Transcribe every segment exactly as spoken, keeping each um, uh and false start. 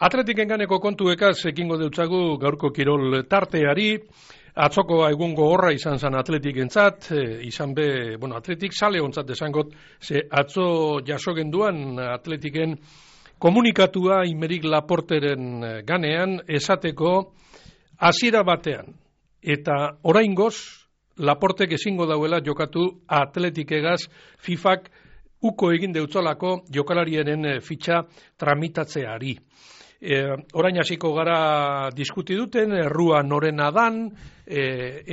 Atletiken ganeko kontuekaz ekingo deutzagu gaurko kirol tarteari. Atzoko egungo horra izan zen Atletikentzat, e, izan be, bueno, Atletik sale ontzat esangot, ze atzo jaso genduan Atletiken komunikatua Imerik Laporteren ganean esateko hasiera batean. Eta oraingoz Laportek ezingo dauela jokatu Atletikegaz FIFAk uko egin deutzolako jokalariaren fitxa tramitatzeari. E, orain hasiko gara diskuti duten, errua norena dan, e,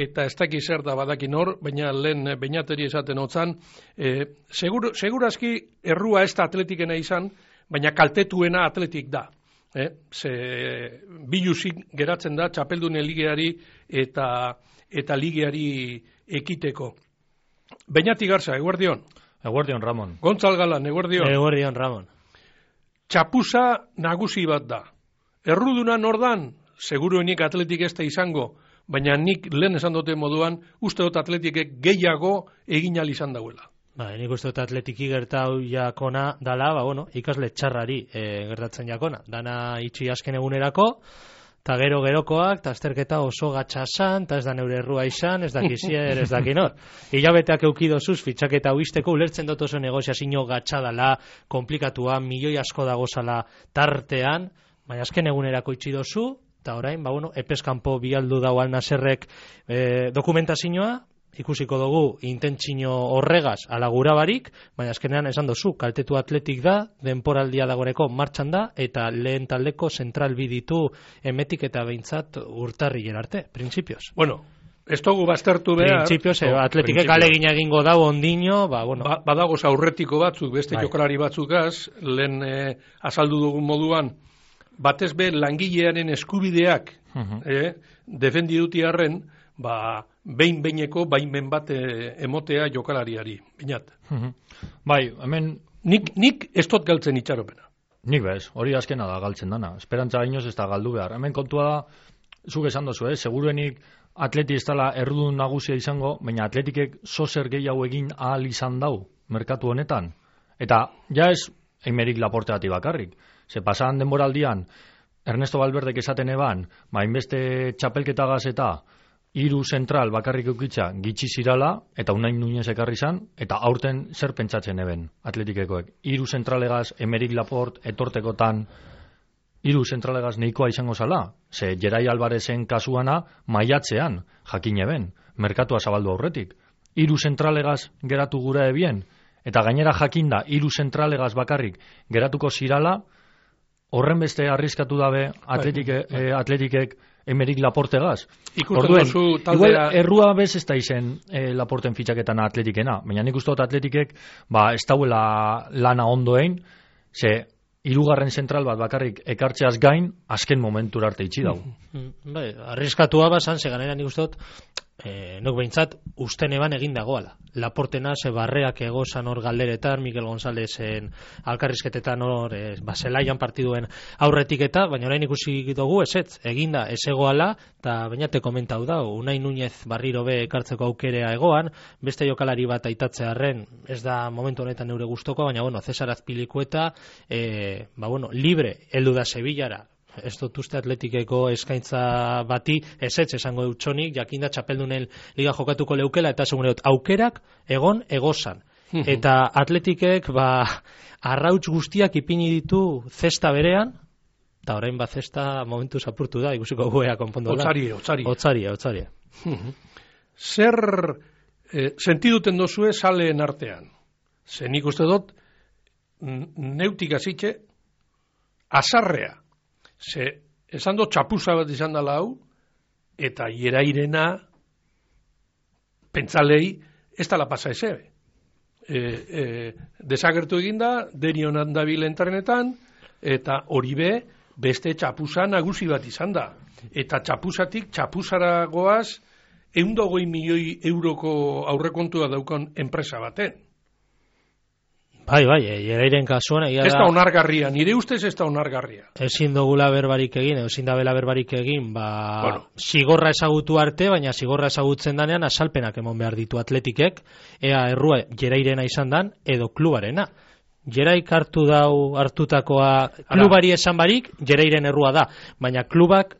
eta ez daki zer da badaki nor, baina lehen bainateri esaten hotzan, e, segur, segurazki errua ez da Atletikena izan, baina kaltetuena Atletik da. E, ze biluzik geratzen da txapeldunen ligeari eta, eta ligeari ekiteko. Bainati Garza, eguerdion. Eguerdion, Ramon. Gontzal Galan, eguerdion. Eguerdion, Ramon. Txapuza nagusi bat da. Erruduna nordan, seguruenik Atletik ez da izango, baina nik lehen esan dute moduan, uste dut Atletikek gehiago egin ahal izan dauela. Ba, nik uste dut Atletiki gertau jakona dala, ba, bueno, ikasle txarrari e, gertatzen jakona. Dana itxi azken egunerako, eta gero gerokoak, eta azterketa oso gatxasan, eta ez da neure errua izan, ez da kizier, ez da kinor. Hilabeteak eukidozuz, fitxaketa uisteko, ulertzen dut oso negoziazio gatxadala, komplikatua, milioi asko dagozala tartean, baina azken egunerako itxi dozu, eta orain, ba, bueno, epeskanpo bialdu dau Al-Naserrek e, dokumentazioa, ikusiko dugu intentsio horregaz ala gura barik, baina azkenean esan dozu, kaltetu Atletik da, denporaldia dagoreko martxan da, eta lehen taldeko zentral biditu emetik eta behintzat urtarrilen arte, printzipioz. Bueno, ez dugu baztertu behar. Printzipioz, eh, Atletikek alegin egingo dau ondino, ba, bueno. Ba, badagoz aurretiko batzuk, beste bai. Jokalari batzukaz, lehen eh, azaldu dugun moduan, batez be langilearen eskubideak uh-huh. eh, defendi dutiarren, ba, behin-beineko baimen bat eh, emotea jokalariari. Binat. Uh-huh. Bai, hemen... Nik, nik ez dut galtzen itxaropena. Nik bez, hori azkena da galtzen dana. Esperantza gainoz ez da galdu behar. Hemen kontua da, zuk esan dozu, eh? Seguruenik Atleti ez dela errudun nagusia izango, baina Atletikek zozer gehiago egin ahal izan dau, merkatu honetan. Eta, ja ez, Imerik Laporteati bakarrik. Ze pasan denboraldian, Ernesto Valverdek esaten eban, ba, inbeste txapelketagaz eta hiru zentral bakarrik eukitza gitxi zirala, eta Unai Nuñez ekarri zan, eta aurten zer pentsatzen eben Atletikekoek. Hiru zentralegaz Imerik Laport etortekotan hiru zentralegaz neikoa izango zala. Ze Gerai Alvarezen kasuana maiatzean jakin eben, merkatua zabaldu aurretik. Hiru zentralegaz geratu gura ebien, eta gainera jakinda hiru zentralegaz bakarrik geratuko zirala, horren beste arriskatu dabe Atletik, eh, Atletikek Imerik Laportegaz. Orduen, igual errua bez ez da izen eh, Laporten fitxaketan Atletikena, baina nik uste dut Atletikek ba, ez dauela lana ondoen, ze hirugarren zentral bat bakarrik ekartzeaz gain, azken momentura arte itxi dau. Bai, arriskatua bazan, ze ganera nik uste dut, Eh, nok behintzat usten eban egin dagoala. Laportena ze barreak egozan hor galderetan, Mikel Gonzalezen alkarrizketetan hor eh, baselaian partiduen aurretik eta, baina orain ikusi dugu ezetz, eginda ez egoala, eta bainate komentau da, Unai Nuñez barriro be ekartzeko aukerea egoan, beste jokalari bat aitatzearren, ez da momentu honetan neure gustoko, baina bueno, Cesar Azpilicueta, eh, ba bueno, libre, heldu da Sevillara, ez dut uste Atletikeko eskaintza bati ezetz esango dutxonik, jakinda txapeldunen liga jokatuko leukela, eta segun dut, aukerak egon egozan. Eta Atletikek ba, arrauts guztiak ipini ditu zesta berean, eta orain bat zesta momentu zapurtu da, ikusiko guea konpondo da. Otzarie, otzarie. Otzarie, otzarie. Zer eh, sentiduten dozue saleen artean? Zen ikuste dut, neutik azitxe, azarrea. Ze, esan dut txapuza bat izan dela hau, eta hierairena pentzalei ez dala pasa eze. E, e, desagertu eginda, derion handabil entrenetan, eta hori be, beste txapuza nagusi bat izan da. Eta txapuzatik txapuzara goaz, ehundogoi milioi euroko aurrekontua daukan enpresa baten. Bai, bai, Gerairen kasuan egia da... Ez da onargarria, nire ustez ez da onargarria. Ezin dugula berbarik egin, ezin da bela berbarik egin, ba... Bueno. Zigorra ezagutu arte, baina zigorra ezagutzen danean asalpenak emon behar ditu Atletikek, ea errua Gerairena izan dan, edo klubarena. Jeraik hartu dau hartutakoa klubari esan barik, Jerairen errua da, baina klubak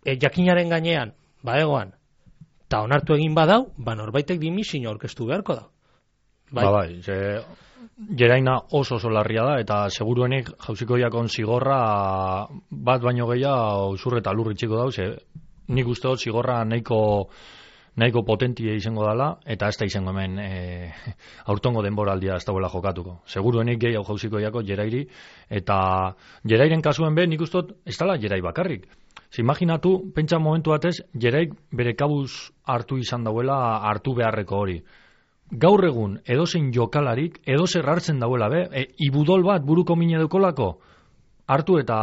e, jakinaren gainean, ba egoan, eta onartu egin badau, ba norbaitek dimisio aurkeztu beharko da. Bai, ba, bai, ze, Jeraina oso oso larria da, eta seguruenik jauzikoiakon zigorra bat baino gehiago zur eta lur itxiko dau, ze nik uste dut zigorra nahiko nahiko potentie izango dela, eta ez da izango hemen e, aurtongo denboraldia ez dauela jokatuko. Seguruenik gehiago jauzikoiako Jerairi, eta Jerairen kasuen be, nik uste dut ez dela Jerai bakarrik. Imaginatu, pentsa momentu batez, Jeraik bere kabuz hartu izan dauela hartu beharreko hori. Gaur egun, edozein jokalarik, edozer hartzen dauela, be, e, ibudol bat buruko mine dukolako, hartu eta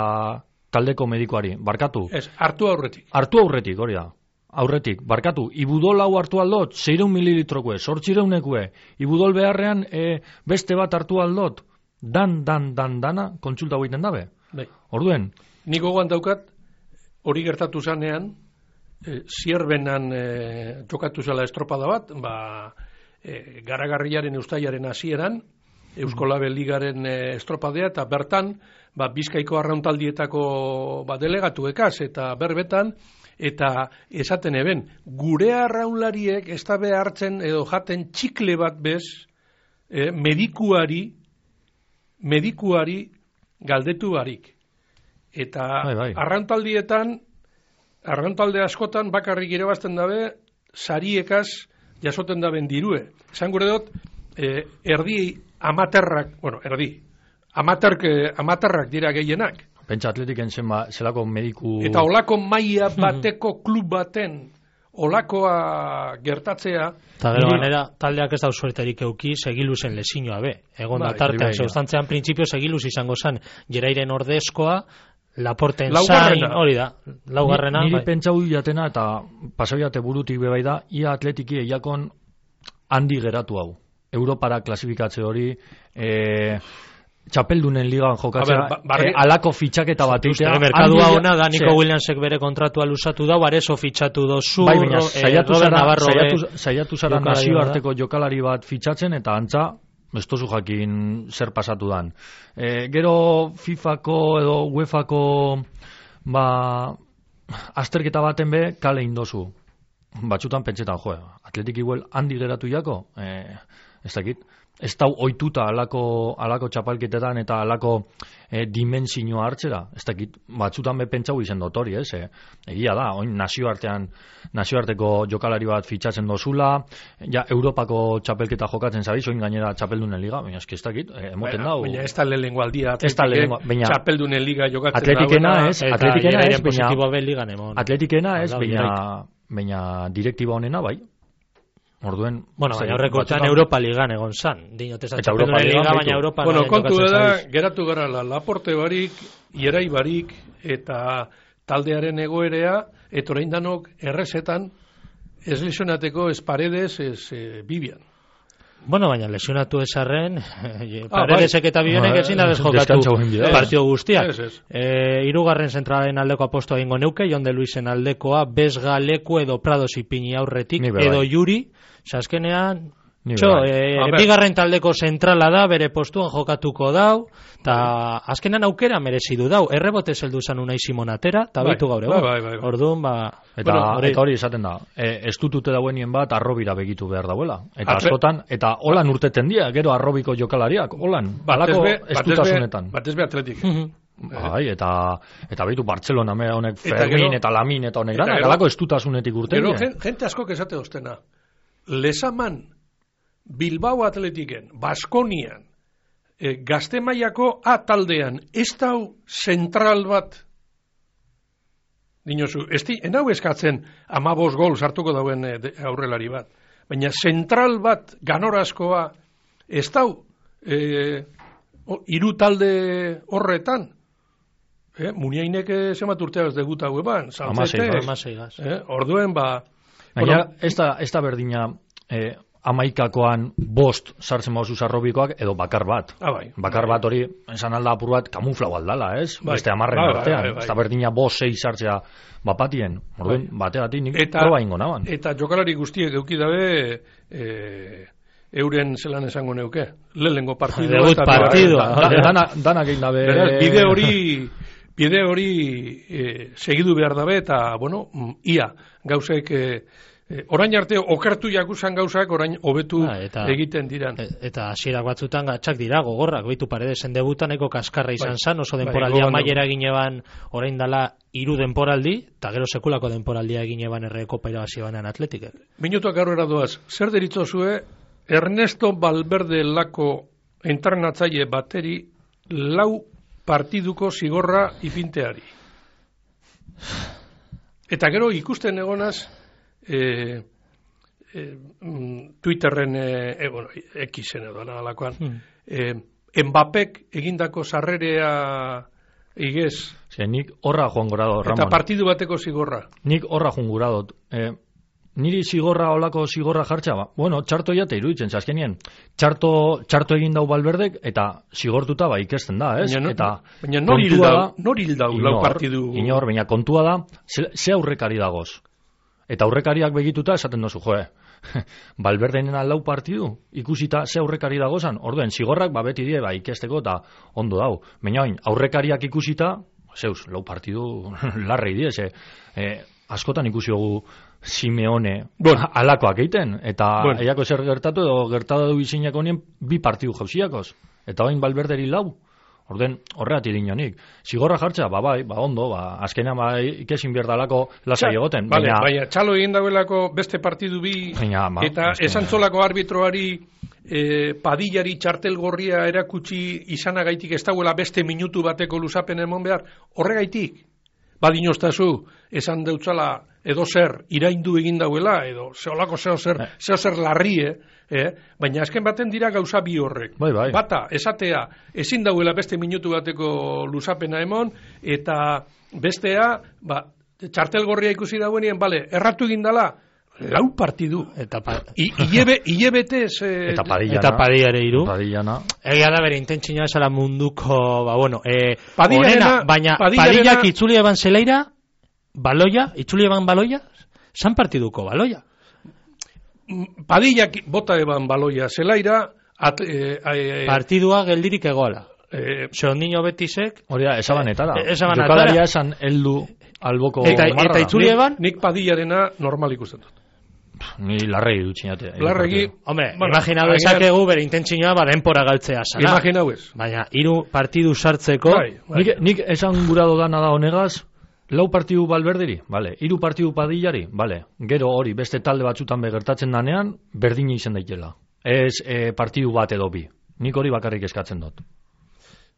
taldeko medikoari, barkatu. Ez, hartu aurretik. Hartu aurretik, hori da. Aurretik, barkatu, ibudol hau hartu aldot, seireun mililitrokue, sortzireunekue, ibudol beharrean e, beste bat hartu aldot, dan, dan, dan, dana, kontsulta goiten dabe. Bai. Orduen. Nik gogoan daukat, hori gertatu zanean, e, zierbenan e, jokatu zela estropada bat, ba, e, garagarriaren ustaiaren hasieran, Eusko Label Ligaren e, estropadea, eta bertan, ba, Bizkaiko arrauntaldietako ba, delegatuekaz, eta berbetan, eta esaten eben, gure arraunlariek ez da behartzen edo jaten txikle bat bez, e, medikuari, medikuari galdetu barik. Eta bai, bai. arrauntaldietan, arrauntalde askotan bakarrik irabazten dabe, sariekaz jasoten daben dirue. Esan gure dut, e, erdi amaterrak, bueno, erdi, amaterk, amaterrak dira gehienak. Pentsa atletiken zenba, zelako mediku... Eta olako maila bateko klub baten, olakoa gertatzea... Eta gero ganera, taldeak ez da suerterik euki, segiluzen lesinoa be. Egon da tartean, zeustantzean printzipio segiluz izango zen, Jerairen ordezkoa, Laporten zain, hori da, laugarrena. Niri bai. pentsau jatena, eta pasabiate burutik bebai da, ia atletiki eiakon handi geratu hau. Europara klasifikatze hori... E, txapeldunen ligan jokatzea, ba, barri... eh, alako fitxaketa bat egitea. Merkadua ona da, Nico Williamsek bere kontratua lusatu da, barezo fitxatu dozu, bai, baina, eh, saiatu Robert zara, Navarro saiatu, saiatu zara jokalari nazioarteko jokalari bat fitxatzen, eta antza, ez tozu jakin zer pasatu dan. E, gero FIFako edo UEFako ba, azterketa baten be, kale indozu. Batzutan pentsetan, jo, atletik igual handi geratu jako, e, ez dakit. Ez dau oituta alako, alako txapalketetan eta alako e, dimensioa hartzera. Ez dakit, batzutan be pentsau izen dut hori, ez? E, egia da, oin nazioartean, nazioarteko jokalari bat fitxatzen dozula, ja, Europako txapelketa jokatzen zabiz, oin gainera txapeldunen liga, baina eski ez dakit, e, emoten dau. Baina ez da lehenengo aldia, atletikek txapeldunen liga jokatzen atletikena dauena. Ez, atletikena ez, baina... Atletikena ez, baina, baina direktiba honena, bai. Orduen, bueno, baina horrekotan Europa Ligan egon zan. Dinotez Europa Liga, baina Europa... Bueno, kontu da, geratu gara la Laporte barik, Ierai barik, eta taldearen egoerea, eta orain danok errezetan, ez lesionateko ez Paredes, ez e, Bibian. Bueno, baina lesionatu esarren, Paredesek eta Bibionek ezin da jokatu partio guztiak. E, irugarren zentralen aldeko aposto egingo neuke, Jonde Luisen aldekoa, Besga, Leku edo Prados ipini aurretik, edo Juri, azkenean, txo, e, bigarren taldeko zentrala da, bere postuan jokatuko dau, eta azkenean aukera merezidu dau, errebote zeldu zan unai Simonatera, eta baitu gaur egon. Bai, bai, bai. Orduan, ba... Eta, bueno, hori, eta hori esaten da, e, estutute dauenien bat arrobira begitu behar dauela. Eta Atre... askotan, eta holan urteten dia, gero arrobiko jokalariak, holan, balako estutasunetan. Batez be atletik. Bai, eta eta beitu Barcelona me honek Fermin eta Lamin eta honek dana, galako estutasunetik urten. Gero gente asko esate ostena. Lesaman, Bilbao Atletiken, Baskonian, e, Gaztemaiako A taldean, ez dau zentral bat, dinosu, ez di, enau eskatzen amabos gol sartuko dauen e, aurrelari bat, baina zentral bat ganorazkoa, ez dau e, o, iru talde horretan, e, Muniainek zemat urtea ez deguta gueban, Saltzete, e, orduen ba, baina bueno, ez da, ez da berdina eh, amaikakoan bost sartzen mauzu sarrobikoak edo bakar bat. Ah, bai, bakar bai. bat hori, esan alda apur bat kamuflau aldala, ez? Bai, beste amarren bai, artean. Bai, bai, bai. Ez da berdina bost sei sartzea bapatien. Orduen, bai. bateatik nik eta, proba ingo naban. Eta jokalari guztiek euki dabe e, euren zelan esango neuke. Lehenengo partidua. Debut partidua. Danak dana egin dabe... Beraz, bide hori, bide hori e, segidu behar dabe, eta, bueno, ia, gauzek... E, orain arte okertu jakusan gauzak orain hobetu ah, egiten diran. Eta hasierak batzutan gatxak dira gogorrak, beitu Paredesen debutan nahiko kaskarra izan bai, zan, oso denporaldia bai, maiera gineban orain dala hiru denporaldi, eta gero sekulako denporaldia gineban erre kopa irabazi banean Atletikek. Minutuak aurrera doaz, zer deritzozue Ernesto Valverde lako entrenatzaile bateri lau partiduko zigorra ipinteari. Eta gero ikusten egonaz E, e, Twitterren e, e, bueno, Xen edo alakoan hmm. e, Mbappek egindako sarrerea igez Zer, nik horra joan gora dut, eta partidu bateko zigorra nik horra joan gora dut e, niri zigorra olako zigorra jartza ba? Bueno, txarto jate iruditzen zaskenien txarto, txarto egin dau Valverdek eta zigortuta ba ikesten da ez? Baina, eta baina nor hil dau, nor hil dau lau partidu inor, baina kontua da ze, ze aurrekari dagoz. Eta aurrekariak begituta esaten dozu, joe, Valverdenena lau partidu, ikusita ze aurrekari dagozan, orduen, zigorrak ba beti die, ba ikesteko eta ondo dau. Baina oin, aurrekariak ikusita, zeus, lau partidu larrei die, ze, e, askotan ikusi dugu Simeone bueno. alakoak egiten, eta bueno. eiako zer gertatu edo gertatu du izinak honien bi partidu jauziakoz. Eta oin Valverderi lau. Orden, horreati dinonik. Zigorra jartza, ba bai, ba ondo, ba azkenean ba ikesin berdalako lasai egoten. Vale, baina, baina txalo egin dauelako beste partidu bi, baina, ba, eta esantzolako arbitroari e, padillari txartel gorria erakutsi izanagaitik ez dauela beste minutu bateko luzapen emon behar, horregaitik. Badinoztazu, esan deutzala edo zer iraindu egin dauela, edo zeolako zeo zer, zeo zer larrie, eh? Baina azken baten dira gauza bi horrek. Bai, bai. Bata, esatea, ezin dauela beste minutu bateko luzapena emon, eta bestea, ba, txartel gorria ikusi dauenien, bale, erratu egin dala, lau partidu. Eta pa... hilebetez... Eh, eta padillana. Eta padillare iru. Padillana. Egia da bere intentzina esala munduko, ba, bueno, eh, onena, baina padillak itzuli eban zeleira, baloia, itzuli eban baloia, san partiduko baloia. Padillak bota eban baloia zelaira, at, eh, eh, partidua geldirik egoala. Eh, Seondino Betisek... Hori da, esaban etara. Eh, esaban etara. Jokalaria esan heldu alboko eta, marra. Eta itzuli eban... Nik, nik padillarena normal ikusten dut. Ni larregi dutxinate. Larregi... Hombre, bueno, imaginau ezakegu bere intentzinoa ba denpora galtzea sana. Imaginau ez. Baina, hiru partidu sartzeko... Bai, bai. Nik, nik esan gurado dana da honegaz, lau partidu Valverderi, vale. Hiru partidu padillari, vale. Gero hori, beste talde batzutan begertatzen danean, berdina izan daitela. Ez e, partidu bat edo bi. Nik hori bakarrik eskatzen dut.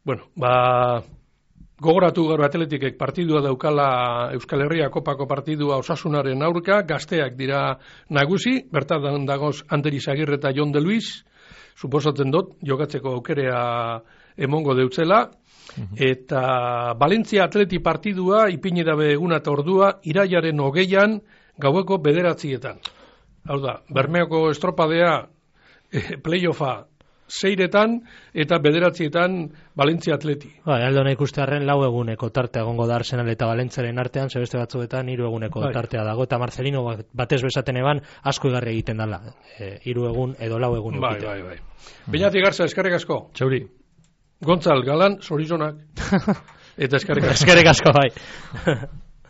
Bueno, ba... Gogoratu gaur Atletikek partidua daukala Euskal Herria Kopako partidua Osasunaren aurka, gazteak dira nagusi, bertan dagoz Ander Izagirre eta Jon de Luis, suposatzen dut, jokatzeko aukerea emongo deutzela, eta Valentzia Atleti partidua ipini dabe eguna eta ordua irailaren hogeian gaueko bederatzietan. Hau da, Bermeoko estropadea eh, playoffa seiretan eta bederatzietan Valentzia Atleti. Ba, aldo nahi ikustearen lau eguneko tartea egongo da Arsenal eta Valentziaren artean, zebeste batzuetan hiru eguneko bai. Tartea dago, eta Marcelino batez besaten eban asko igarri egiten dala. E, hiru egun edo lau egun. Bai, bai, bai. Beñati Garza, eskerrik asko. Txauri. Gontzal, Galan, Sorizonak. Eta eskerrik asko. Eskerrik asko, bai.